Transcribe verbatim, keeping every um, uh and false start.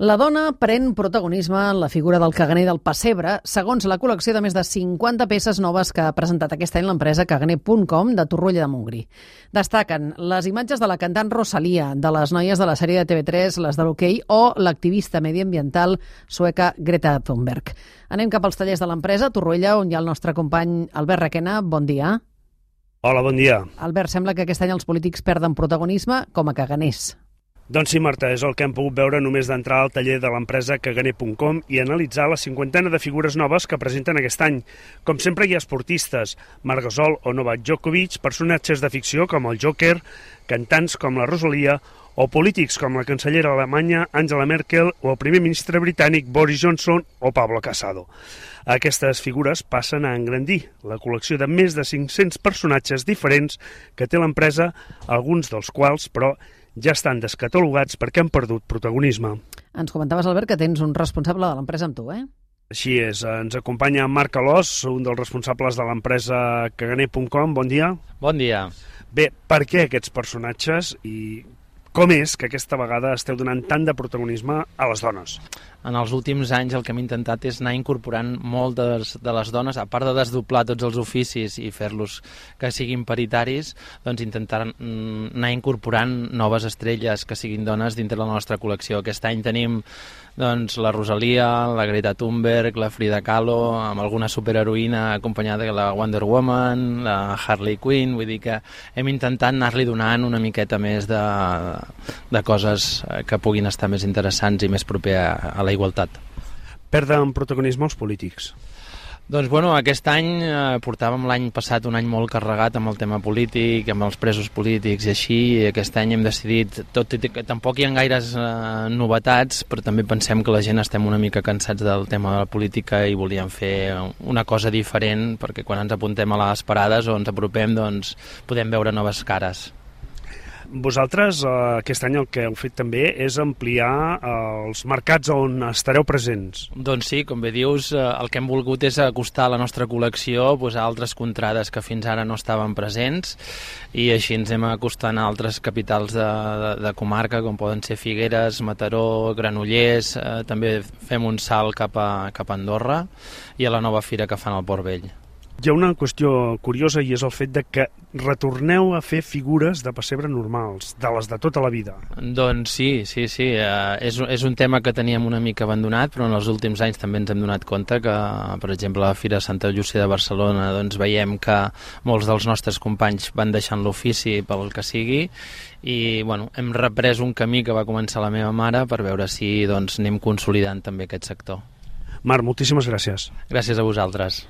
La dona pren protagonisme en la figura del caganer del pessebre, segons la col·lecció de més de cinquanta peces noves que ha presentat aquest any l'empresa caganer punt com de Torroella de Montgrí. Destaquen les imatges de la cantant Rosalia, de les noies de la sèrie de T V tres, les de l'Hoquei, o l'activista mediambiental sueca Greta Thunberg. Anem cap als tallers de l'empresa, a Torroella, on hi ha el nostre company Albert Requena. Bon dia. Hola, bon dia. Albert, sembla que aquest any els polítics perden protagonisme com a caganers. Doncs sí, Marta, és el que hem pogut veure només d'entrar al taller de l'empresa caganer punt com i analitzar la cinquantena de figures noves que presenten aquest any. Com sempre hi ha esportistes, Marc Gasol o Novak Djokovic, personatges de ficció com el Joker, cantants com la Rosalia o polítics com la cancellera alemanya Angela Merkel o el primer ministre britànic Boris Johnson o Pablo Casado. Aquestes figures passen a engrandir la col·lecció de més de cinc-cents personatges diferents que té l'empresa, alguns dels quals, però, ja estan descatalogats perquè han perdut protagonisme. Ens comentaves, Albert, que tens un responsable de l'empresa amb tu, eh? Així és. Ens acompanya Marc Alós, un dels responsables de l'empresa caganer punt com. Bon dia. Bon dia. Bé, per què aquests personatges i com és que aquesta vegada esteu donant tant de protagonisme a les dones? En els últims anys el que hem intentat és anar incorporant moltes de les dones, a part de desdoblar tots els oficis i fer-los que siguin paritaris, doncs intentar anar incorporant noves estrelles que siguin dones dintre de la nostra col·lecció. Aquest any tenim doncs, la Rosalia, la Greta Thunberg, la Frida Kahlo, amb alguna superheroïna acompanyada de la Wonder Woman, la Harley Quinn, vull dir que hem intentat anar-li donant una miqueta més de, de coses que puguin estar més interessants i més proper a, a la igualtat. Perden protagonisme els polítics? Doncs bueno, aquest any eh, portàvem l'any passat un any molt carregat amb el tema polític, amb els presos polítics i així, i aquest any hem decidit, tot i que tampoc hi ha gaires eh, novetats, però també pensem que la gent estem una mica cansats del tema de la política i volíem fer una cosa diferent, perquè quan ens apuntem a les parades o ens apropem, doncs podem veure noves cares. Vosaltres, eh, aquest any el que heu fet també és ampliar eh, els mercats on estareu presents. Doncs sí, com bé dius, eh, el que hem volgut és acostar la nostra col·lecció pues, a altres contrades que fins ara no estaven presents i així ens hem acostant a altres capitals de, de, de comarca, com poden ser Figueres, Mataró, Granollers, eh, també fem un salt cap a, cap a Andorra i a la nova fira que fan al Port Vell. Hi ha una qüestió curiosa i és el fet de que retorneu a fer figures de pessebre normals, de les de tota la vida. Doncs sí, sí, sí. Eh, és, és un tema que teníem una mica abandonat, però en els últims anys també ens hem donat compte que, per exemple, a la Fira Santa Llúcia de Barcelona doncs veiem que molts dels nostres companys van deixant l'ofici pel que sigui i bueno, hem reprès un camí que va començar la meva mare per veure si doncs, anem consolidant també aquest sector. Marc, moltíssimes gràcies. Gràcies a vosaltres.